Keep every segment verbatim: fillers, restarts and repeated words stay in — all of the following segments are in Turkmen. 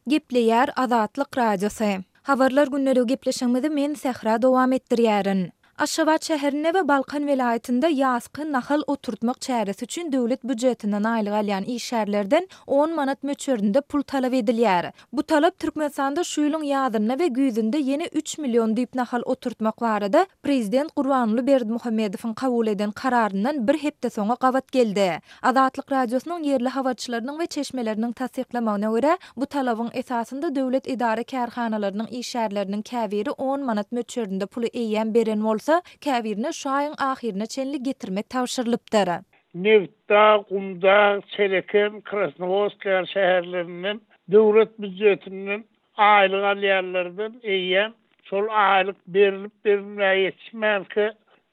Gepleýär Azatlyk Radiosy. Habarlar gündeligi gepleşigimizi men Sähra dowam etdirýärin. Aşgabat şäherinde we Balkan welaýatynda ýazky nahal oturtmak çäresi üçin döwlet býujetinden aýlyk alýan işgärlerden on manat möçberinde pul talap edilýär. Bu talap Türkmenistanda şu ýylyň ýazynda we güýzünde ýene üç million düýp nahal oturtmak barada prezident Gurbanguly Berdimuhamedowyň kabul eden kararyndan bir hepde soňa gabat geldi. Azatlyk Radiosynyň ýerli habarçylarynyň we çeşmeleriniň tassyklamagyna görä, bu talabyň esasynda döwlet edara-kärhanalarynyň işgärleriniň käbiri on manat möçberinde puly eýýäm beren bolsa, käbirine şu aýyň ahyryna çenli getirmek tabşyrylypdyr. Nebitdag, Gumdag, Çeleken, Krasnowodsk ýaly şäherlerinden döwlet býujetinden aýlyk alýanlardan eýýäm şol aýlyk berilip berilmäge ýetişmänkä,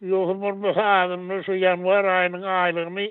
ýogsa bolmasa adamlar şu ýanwar aýynyň aýlygyny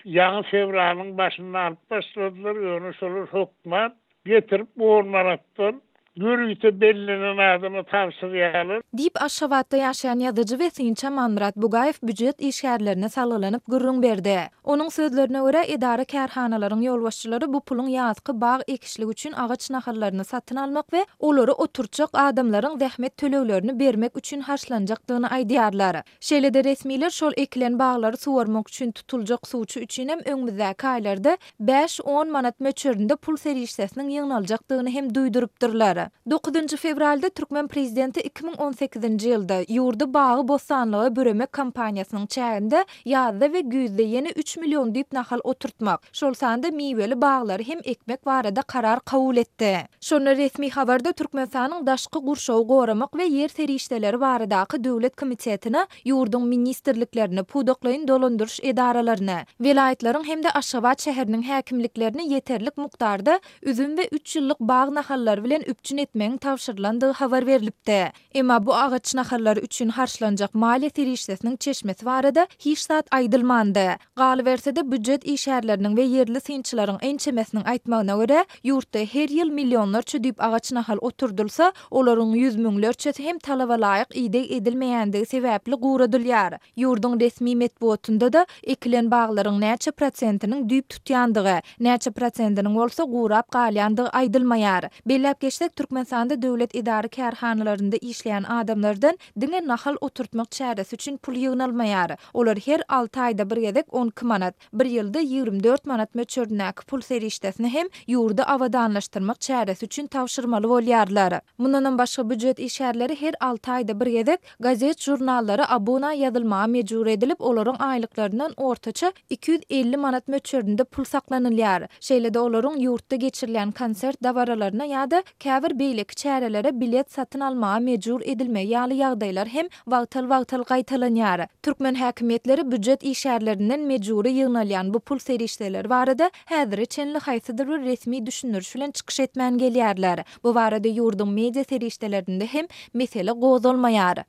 ýaňy fewralyň başynda alyp başladylar, ýöne şolar hökman getirip on manatdan ýörite bellenen adama tabşyrýarlar. Diýip, Aşgabatda ýaşaýan ýazyjy we synçy Amanmyrat Bugaýew býujet işgärlerine salgylanyp gürrüň berdi. Onuň sözlerine görä, edara-kärhanalaryň ýolbaşçylary bu puluň ýazky bag ekişligi üçin agaç nahallaryny satyn almak we olary oturtjak adamlaryň zähmet töleglerini bermek üçin harçlanjakdygyny aýdýarlar. Şeýle-de resmiler şol ekilen baglary suwarmak üçin tutuljak suwçy üçinem öňümizdäki aýlarda bäş-on manat möçberinde pul serişdesiniň ýygnaljakdygyny hem duýdurypdyrlar. Dokuzynjy fewralda türkmen prezidenti iki müň on sekizinji ýylda ýurdy bagy-bossanlyga büremek kampaniýasynyň çäginde ýazda we güýzde ýene üç million düýp nahal oturtmak, şol sanda miweli baglary hem ekmek barada karar kabul etdi. Şonda resmi habarda Türkmenistanyň Daşky gurşawy goramak we ýer serişdeleri baradaky döwlet komitetine, ýurduň ministrliklerini, pudaklaýyn dolandyryş edaralaryny, welaýatlaryň hem-de Aşgabat şäheriniň häkimliklerini ýeterlik mukdarda üzüm we üç ýyllyk bag nahallary bilen üpjün etmegiň tabşyrylandygy habar berlipdi. Emma bu agaç nahallary üçin harçlanjak maliýe serişdesiniň çeşmesi barada hiç zat aýdylmandy. Galyberse-de, býujet işgärleriniň we ýerli synçylaryň ençemesiniň aýtmagyna görä, ýurtda her ýyl millionlarça düýp agaç nahal oturdylsa, olaryň ýüz müňlerçesi hem talaba laýyk ideg edilmeýändigi sebäpli guradylýar. Ýurduň resmi metbugatynda-da ekilen baglaryň näçe prosentiniň düýp tutýandygy, näçe prosentiniň bolsa gurap galýandygy aýdylmaýar. Belläp geçsek, Türkmenistanda döwlet edara-kärhanalarynda işleýän adamlardan diňe nahal oturtmak çäresi üçin pul ýygnalmaýar. Olar her alty aýda bir gezek on iki manat, bir ýylda ýigrimi dört manat möçberindäki pul serişdesini hem ýurdy abadanlaşdyrmak çäresi üçin tabşyrmaly bolýarlar. Mundanam başga býujet işgärleri her alty aýda bir gezek gazet-žurnallara abuna ýazylmaga mejbur edilip, olaryň aýlyklaryndan ortaça iki ýüz elli manat möçberinde pul saklanylýar. Şeýle-de olaryň ýurtda geçirilýän konsert dabaralaryna ýa-da käbir beýleki çärelere bilet satyn almaga mejbur edilmegi ýaly ýagdaýlar hem wagtal-wagtal gaýtalanýar. Türkmen häkimiýetleri býujet işgärlerinden mejbury ýygnalýan bu pul serişdeleri barada häzire çenli haýsydyr bir resmi düşündiriş bilen çykyş etmän gelýärler. Bu barada ýurduň media serişdelerinde hem mesele gozgalmaýar.